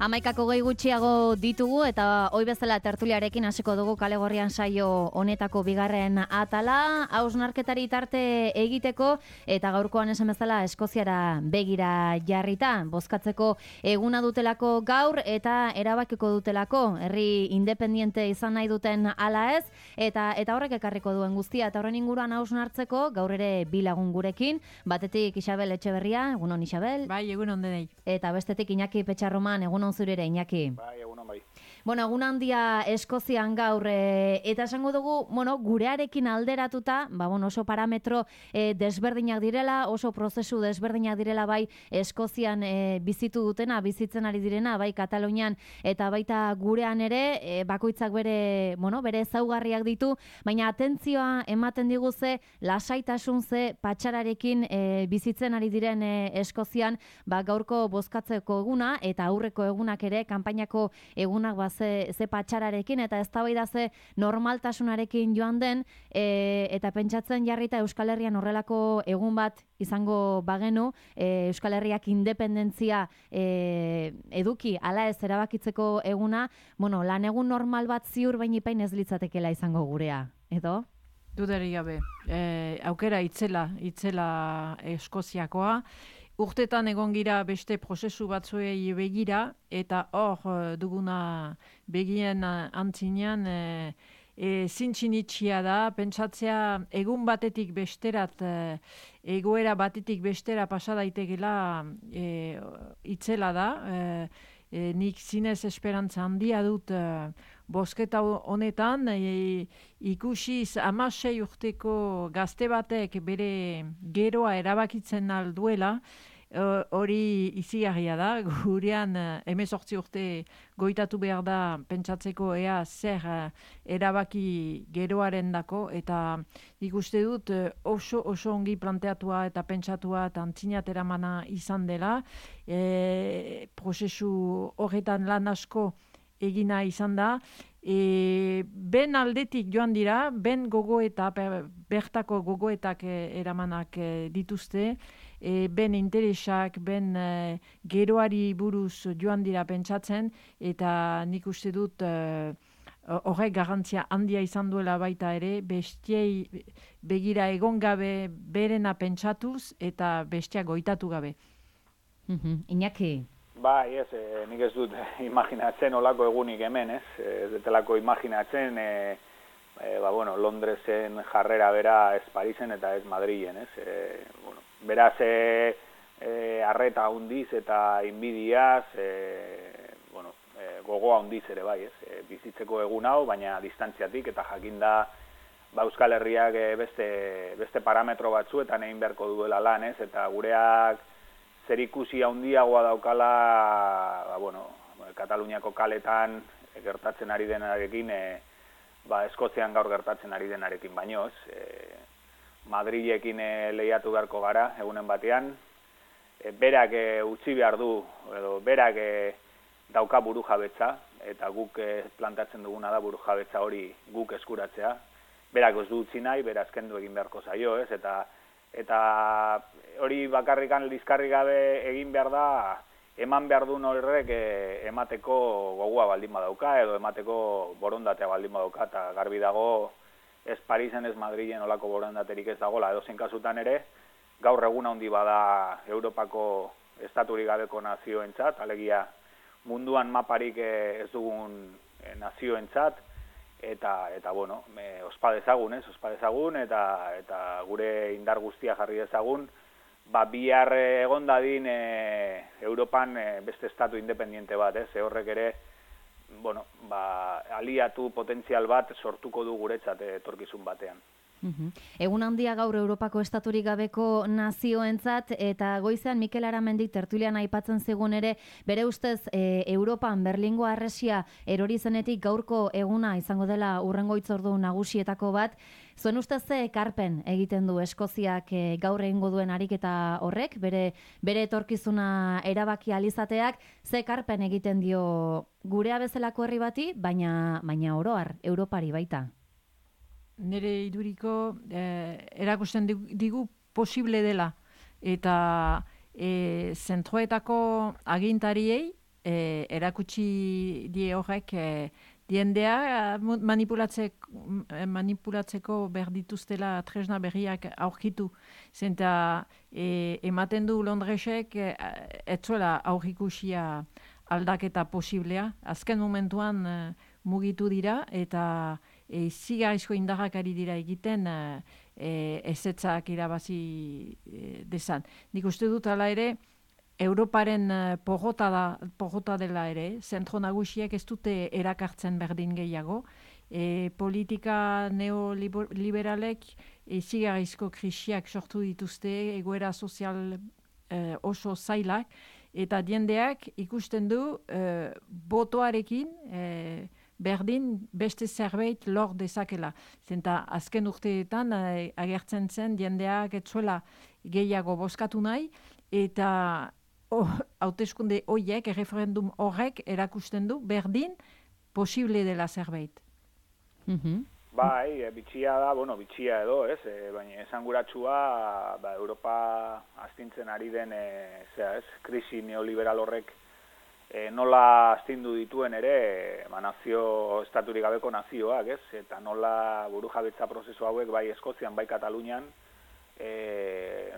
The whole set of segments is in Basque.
Hamaikako gehi gutxiago ditugu eta hoi bezala tertuliarekin hasiko dugu Kale Gorrian saio honetako bigarren atala, hausnarketari tarte egiteko eta gaurkoan esan bezala Eskoziara begira jarrita, bozkatzeko eguna dutelako gaur eta erabakiko dutelako, herri independiente izan nahi duten ala ez, eta horrek ekarriko duen guztia, eta horren inguruan hausnartzeko gaur ere bi lagun gurekin, batetik Isabel Etxeberria, egunon Isabel. Bai, egunon denei. Eta bestetik Iñaki Petxarroman, egunon zurere, Iñaki. Bai, egunon bai. Bueno, egun handia Eskozian gaur, eta esango dugu, gurearekin alderatuta, oso parametro desberdinak direla, oso prozesu desberdinak direla bai Eskozian bizitu dutena, bizitzen ari direna, bai Katalunian eta baita gurean ere, bakoitzak bere ezaugarriak ditu, baina atentzioa ematen diguze, lasaitasun ze patxararekin bizitzen ari diren Eskozian, gaurko bozkatzeko eguna eta aurreko egunak ere, kanpainako egunak ze patxararekin eta eztabaida ze normaltasunarekin joan den eta pentsatzen jarrita Euskal Herrian horrelako egun bat izango bagenu, Euskal Herriak independentzia eduki ala ez erabakitzeko eguna, lan egun normal bat ziur bainipain ez litzatekela izango gurea, edo? Dudari gabe, aukera itzela Eskoziakoa, urtetan egon gira beste prozesu batzuei begira, eta hor duguna begien antzinean zintxinitxia da, pentsatzea egun batetik besterat, egoera batetik bestera pasa daitekela itzela da, nik zinez esperantza handia dut bozketa honetan, ikusiz 16 urteko gazte batek bere geroa erabakitzen alduela, hori izigarria da, gurean 18 urte goitatu behar da pentsatzeko ea zer erabaki geroaren dako, eta ikuste dut oso ongi planteatua eta pentsatua eta antzinat eramana izan dela, prozesu horretan lan asko egina izan da, ben aldetik joan dira, ben gogoeta, bertako gogoetak eramanak dituzte, ben interesak, ben geroari buruz joan dira pentsatzen, eta nik uste dut horrek garrantzia handia izan duela baita ere, bestiei begira egon gabe berena pentsatuz, eta bestia goitatu gabe. Iñaki? Bai, nik ez dut imaginatzen olako egunik hemen, ez? Ez detelako imaginatzen, Londresen jarrera bera ez Parisen eta ez Madrilen, ez? Beraz, arreta hundiz eta inbidiaz, gogoa hundiz ere bai, ez? Bizitzeko egun hau, baina distantziatik eta jakinda Euskal Herriak beste parametro batzuetan egin beharko duela lan, ez? Eta gureak zerikusi handiagoa daukala, Kataluniako kaletan gertatzen ari denarekin, Eskozian gaur gertatzen ari denarekin baino, Madrilekin lehiatu beharko gara egunen batean, berak utzi behar du, edo berak dauka burujabetza, eta guk plantatzen duguna da burujabetza hori guk eskuratzea, berak ez du utzi nahi, beraz kendu egin beharko zaio, ez, eta hori bakarrikan lizkarri gabe egin behar da, eman behar duen horrek emateko gogoa baldin badauka, edo emateko borondatea baldin badauka, eta garbi dago ez Parisen, ez Madrilen olako borondaterik ez dagoela, edo zein kasutan ere, gaur egun handi bada Europako estaturik gabeko nazioentzat, alegia munduan maparik ez dugun nazioentzat, eta ospa dezagun, eta gure indar guztia jarri dezagun, bihar egon dadin Europan beste estatu independiente bat, horrek ere, aliatu potentzial bat sortuko du guretzat etorkizun batean. Egun handia gaur Europako estaturik gabeko nazioentzat, eta goizean Mikel Aramendik tertulian aipatzen zigun ere, bere ustez Europan Berlingo harresia erori zenetik gaurko eguna izango dela hurrengo hitzordu nagusietako bat. Zuen ustez ze ekarpen egiten du Eskoziak gaur egingo duen ariketa horrek, bere etorkizuna erabaki alizateak, ze ekarpen egiten dio gurea bezalako herri bati, baina oro har, Europari baita? Nire iduriko erakusten digu posible dela, eta zentroetako agintariei erakutsi die horrek diendea manipulatzeko behar dituztela tresna berriak aurkitu. Zenta ematen du Londresek etzuela aurrikusia aldaketa posiblea. Azken momentuan mugitu dira eta zigarrizko indarrak ari dira egiten ezetzak irabazi dezan. Nik uste dut ala ere, Europaren porrota dela ere, zentro nagusiek ez dute erakartzen berdin gehiago. Politika neoliberalek zigarrizko krisiak sortu dituzte, egoera sozial oso zailak, eta diendeak ikusten du botoarekin berdin beste zerbait lor dezakela. Zenta azken urteetan agertzen zen diendeak etzuela gehiago bozkatu nahi, eta hauteskunde horiek, referendum horrek erakusten du berdin posible dela zerbait. Bai, bitxia da, bitxia edo, ez? Baina esanguratsua Europa astintzen ari den krisi neoliberal horrek nola astindu dituen ere nazio estaturik gabeko nazioak, ez? Eta nola burujabetza prozesu hauek bai Eskozian, bai Katalunian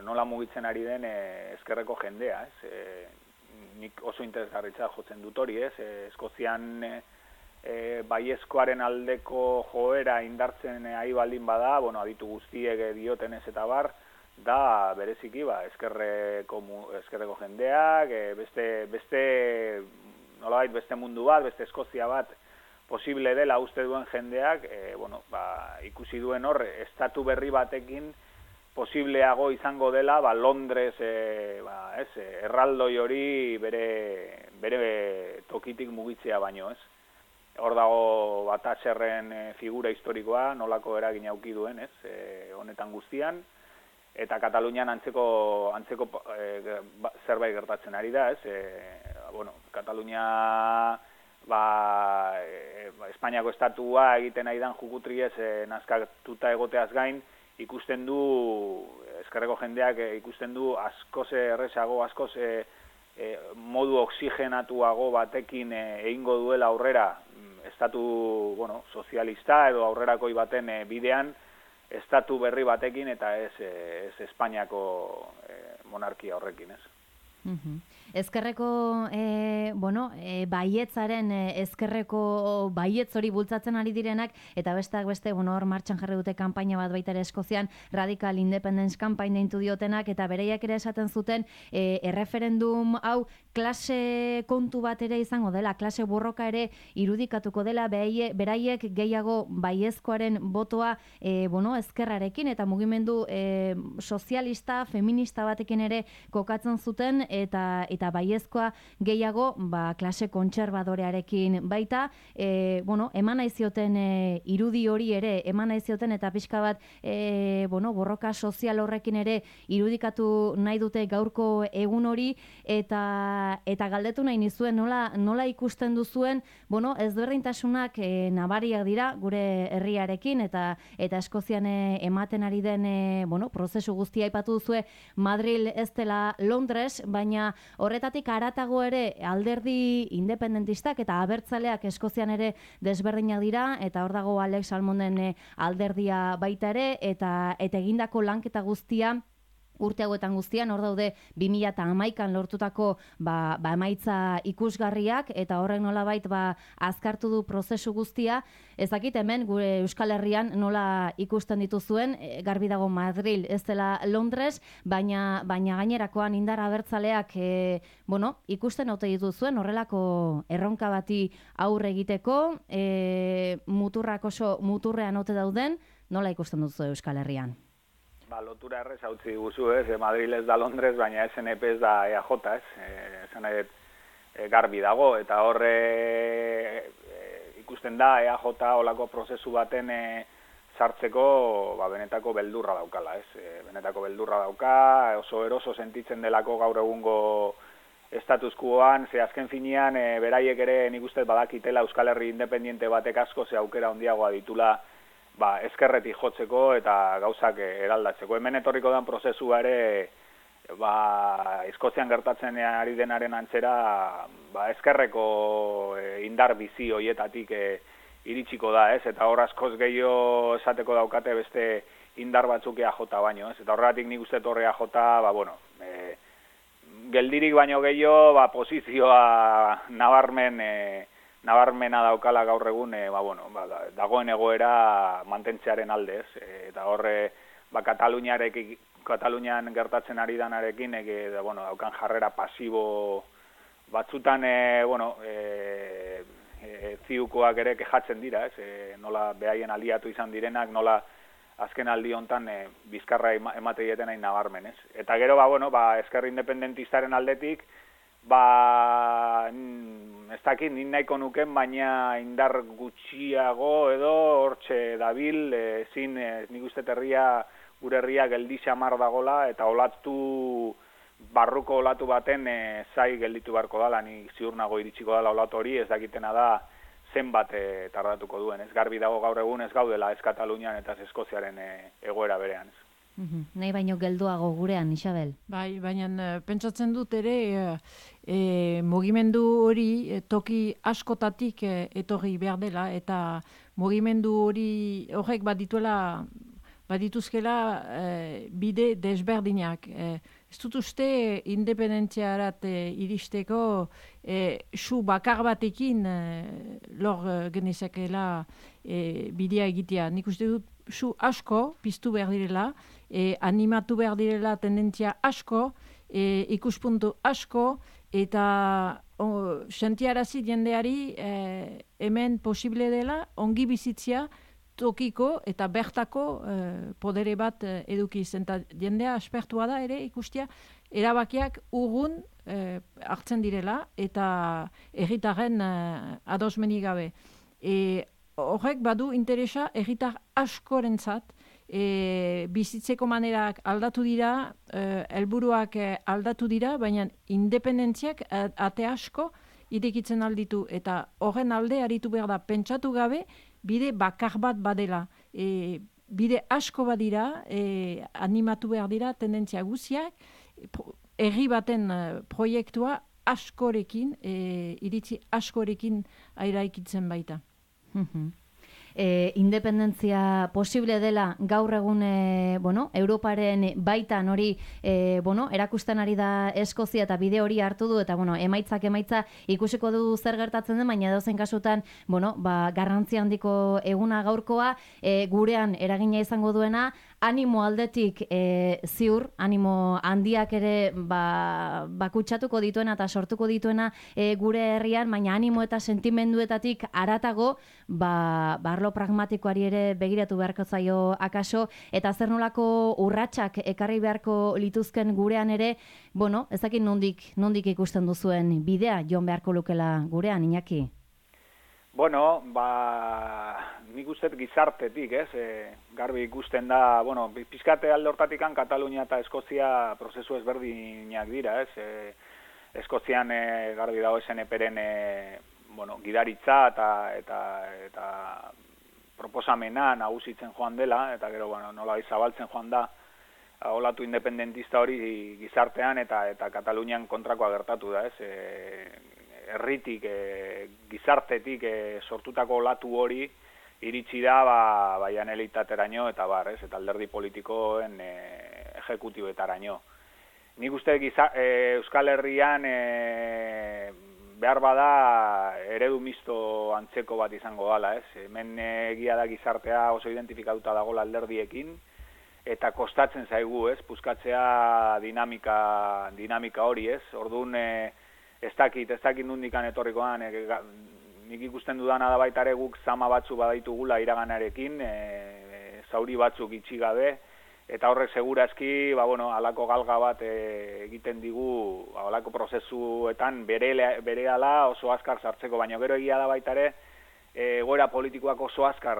nola mugitzen ari den ezkerreko jendea, ez? Nik oso interesgarritza jotzen dut hori, ez? Eskozian baiezkoaren aldeko joera indartzen ari baldin bada, aditu guztiek diotenez eta bar, da bereziki ezkerreko jendeak, nolabait beste mundu bat, beste Eskozia bat posible dela uste duen jendeak, ikusi duen hor, estatu berri batekin posibleago izango dela, Londres, erraldoi hori bere tokitik mugitzea baino, ez? Hor dago Thatcherren figura historikoa, nolako eragin auki duen, ez? Honetan guztian, eta Katalunian antzeko zerbait gertatzen ari da, ez? Katalunia Espainiako estatua egiten ari dan jukutriez nazkatuta egoteaz gain, ikusten du, ezkerreko jendeak ikusten du askoz errezago, askoz modu oxigenatuago batekin egingo duela aurrera estatu sozialista edo aurrerakoi baten bidean estatu berri batekin eta ez Espainiako monarkia horrekin, ez? Ezkerreko, baietzaren ezkerreko baietz hori bultzatzen ari direnak, eta besteak beste, hor martxan jarri dute kanpaina bat baita ere Eskozian, Radical Independence Campaign deintu diotenak, eta bereiak ere esaten zuten, erreferendum hau klase kontu bat ere izango dela, klase borroka ere irudikatuko dela, beraiek gehiago baiezkoaren botoa, ezkerrarekin, eta mugimendu sozialista, feminista batekin ere kokatzen zuten, eta baiezkoa gehiago klase kontserbadorearekin baita, eman naizioten irudi hori ere, eman naizioten eta pixka bat borroka sozial horrekin ere irudikatu nahi dute gaurko egun hori, eta galdetu nahi nizuen nola ikusten duzuen, ezberdintasunak nabariak dira gure herriarekin, eta Eskozian ematen ari den prozesu guztia aipatu duzue Madril ez dela Londres, baina horretatik haratago ere alderdi independentistak eta abertzaleak Eskozian ere desberdinak dira, eta hor dago Alex Salmonden alderdia baita ere, eta egindako lanketa guztia urte hauetan guztian, hor daude 2011an lortutako emaitza ikusgarriak, eta horrek nolabait azkartu du prozesu guztia. Ez dakit hemen gure Euskal Herrian nola ikusten dituzuen, garbi dago Madril ez dela Londres, baina gainerakoan indar abertzaleak ikusten ote dituzuen horrelako erronka bati aurre egiteko, muturrak oso muturrean ote dauden, nola ikusten duzu Euskal Herrian? Lotura errez hautzi diguzu, ez? Madril ez da Londres, baina SNP ez da EAJ, ez? Esan garbi dago, eta horre ikusten da EAJ olako prozesu baten sartzeko benetako beldurra daukala, ez? Benetako beldurra dauka, oso eroso sentitzen delako gaur egungo status quoan, ze azken finean beraiek ere nik uste badakitela Euskal Herri independiente batek asko ze aukera handiagoa ditula ezkerretik jotzeko eta gauzak eraldatzeko. Hemen etorriko den prozesua ere Eskozian gertatzen ari denaren antzera, ezkerreko indar bizi hoietatik iritsiko da, ez? Eta hor askoz gehiago esateko daukate beste indar batzuk EAJ baino, ez? Eta horregatik nik uste torre EAJ, geldirik baino gehiago, posizioa nabarmena daukala gaur egun, dagoen egoera mantentzearen aldez, eta horre, Katalunian gertatzen ari danarekin, daukan jarrera pasibo batzutan, ziukoak ere kejatzen dira, nola behaien aliatu izan direnak, nola azken aldi hontan bizkarra emate dieten hain nabarmen, ez? Eta gero, ezker independentistaren aldetik, ez dakit, nik nahiko nuken, baina indar gutxiago edo hortxe dabil, nik uste gure herria geldi xamar dagola, eta barruko olatu baten zai gelditu beharko dala, nik ziur nago iritsiko dala olatu hori, ez dakitena da zenbat tardatuko duen, ez garbi dago gaur egun ez gaudela ez Katalunian eta ez Eskoziaren egoera berean, ez. Nahi baino gelduago gurean, Isabel. Bai, baina pentsatzen dut ere mugimendu hori toki askotatik etorri behar dela, eta mugimendu hori horrek badituzkela bide desberdinak. Ez dut uste independentziarat iristeko su bakar batekin lor genezakela bidea egitea. Nik uste dut su asko piztu behar direla, animatu behar direla tendentzia asko, ikuspuntu asko, eta sentiarazi jendeari hemen posible dela ongi bizitzia tokiko eta bertako podere bat edukiz. Eta jendea aspertua da ere ikustia erabakiak urrun hartzen direla eta herritarren adosmenik gabe. Horrek badu interesa herritar askorentzat, bizitzeko manerak aldatu dira, helburuak aldatu dira, baina independentziak ate asko irekitzen alditu, eta horren alde aritu behar da pentsatu gabe bide bakar bat badela. Bide asko badira, animatu behar dira tendentzia guziak, herri baten proiektua askorekin, iritzi askorekin airaikitzen baita. Independentzia posible dela gaur egun Europaren baitan hori erakusten ari da Eskozia eta bide hori hartu du, eta emaitza ikusiko du zer gertatzen den, baina edozein kasutan garrantzi handiko eguna gaurkoa, gurean eragina izango duena, animo aldetik ziur, animo handiak ere bakutsatuko dituena eta sortuko dituena gure herrian, baina animo eta sentimenduetatik haratago, arlo pragmatikoari ere begiratu beharko zaio akaso, eta zer nolako urratsak ekarri beharko lituzken gurean ere, ezakit nondik ikusten duzuen bidea joan beharko lukela gurean, Iñaki? Nik uste gizartetik, garbi ikusten da, pizkate alde hortatikan Katalunia eta Eskozia prozesu ezberdinak dira, Eskozian garbi dago SNP-ren gidaritza eta proposamena nagusitzen joan dela, eta gero nola zabaltzen joan da olatu independentista hori gizartean, eta Katalunian kontrakoa gertatu da, herritik, gizartetik sortutako olatu hori iritsi da janelitateraino eta eta alderdi politikoen ejekutibetaraino. Nik uste Euskal Herrian behar bada eredu misto antzeko bat izango dala, Hemen egia da gizartea oso identifikatuta dagoela alderdiekin, eta kostatzen zaigu, puskatzea dinamika hori, Orduan, ez dakit nundikan etorrikoan, nik ikusten dudana da baita ere guk zama batzu badaitugula iraganarekin, zauri batzuk itxi gabe, eta horrek segurazki, alako galga bat egiten digu, alako prozesuetan berehala oso azkar sartzeko, baina gero egia da baita ere, egoera politikoak oso azkar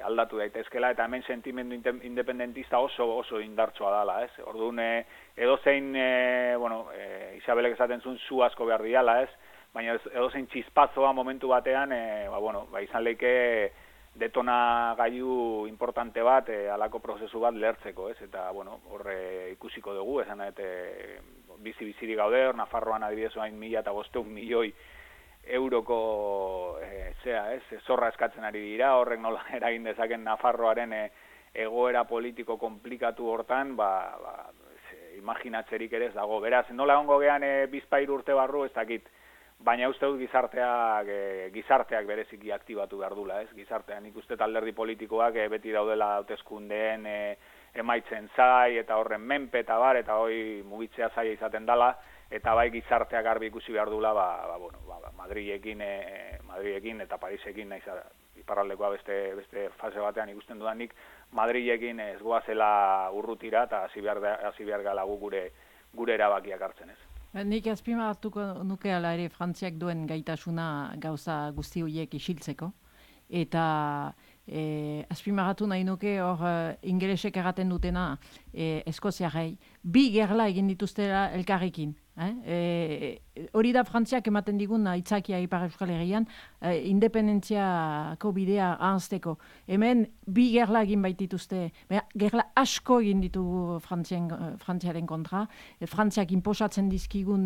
aldatu daitezkela, eta hemen sentimendu independentista oso indartsua dala, Orduan, edozein, Isabelek esaten zuen zu asko behar diala, baina edozein txispazoa momentu batean, izan leike detonagailu importante bat, alako prozesu bat lertzeko, ez? Eta, bueno, horre ikusiko dugu, esan bizi-bizirik gaude, hor Nafarroan adibidez hain 1.500 milioi euroko zorra eskatzen ari dira, horrek nola eragin dezaken Nafarroaren egoera politiko komplikatu hortan, imaginatzerik ere ez dago. Beraz, nola egongo gean bizpahiru urte barru, ez dakit, baina uste dut gizarteak bereziki aktibatu behar dula, ez? Gizartean ikuste alderdi politikoak beti daudela hauteskundeen emaitzen zai, eta horren menpe eta bar, eta hoi mugitzea zaila izaten dala, eta bai gizarteak garbi ikusi behar dula, Madrilekin eta Parisekin, naiz iparraldekoa beste fase batean ikusten dudanik, Madrilekin ez goazela urrutira, eta hasi behar gala gure erabakiak hartzen, ez. Nik azpimarratuko nukeala ere Frantziak duen gaitasuna gauza guzti horiek isiltzeko. Eta azpimarratu nahi nuke hor ingelesek erraten dutena Eskoziarrei. Bi gerla egin dituztela elkarrekin. Hori da Frantziak ematen digun aitzakia Ipar Euskal Herrian independentziako bidea ahazteko. Hemen bi gerla egin baitituzte, gerla asko egin ditugu Frantziaren kontra, Frantziak inposatzen dizkigun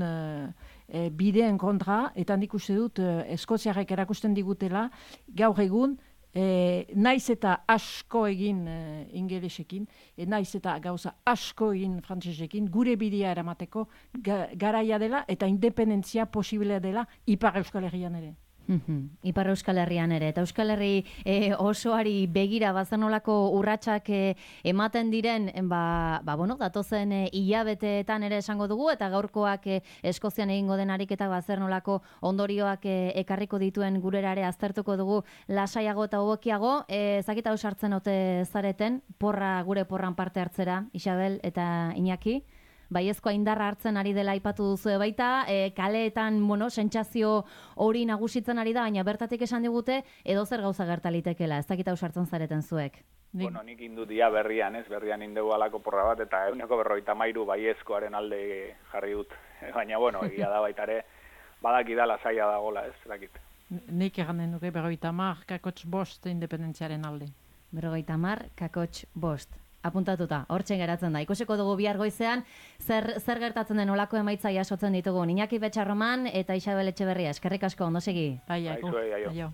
bideen kontra, eta nik uste dut Eskoziarrek erakusten digutela gaur egun naiz eta asko egin ingelesekin, naiz eta gauza asko egin frantsesekin, gure bidea eramateko garaia dela eta independentzia posible dela Ipar Euskal Herrian ere. Ipar Euskal Herrian ere, eta Euskal Herri osoari begira bazenolako urratsak ematen diren, datozen hilabeteetan ere esango dugu, eta gaurkoak Eskozian egingo den ariketak bazernolako ondorioak ekarriko dituen gurera ere aztertuko dugu lasaiago eta hobekiago. Zakita ausartzen ote zareten, gure porran parte hartzera, Isabel eta Iñaki? Baiezkoa indarra hartzen ari dela aipatu duzu baita, kaleetan, sentsazio hori nagusitzen ari da, baina bertatik esan digute edozer gauza gertalitekela, ez dakita ausartzen zareten zuek. Nik indut ia berrian indegu alako porra bat, eta 153 baiezkoaren alde jarri dut. Baina, egia da baitare, badaki da lasaia dagola, ez dakit. Nik eganen nuke 50,5 independentziaren alde. 50,5 apuntatuta, hortzen geratzen da. Ikusiko dugu bihar goizean, zer gertatzen den olako emaitza jasotzen ditugu. Iñaki Betxarroman eta Isabel Etxeberria, eskerrik asko, ondo segi. Bai, aio.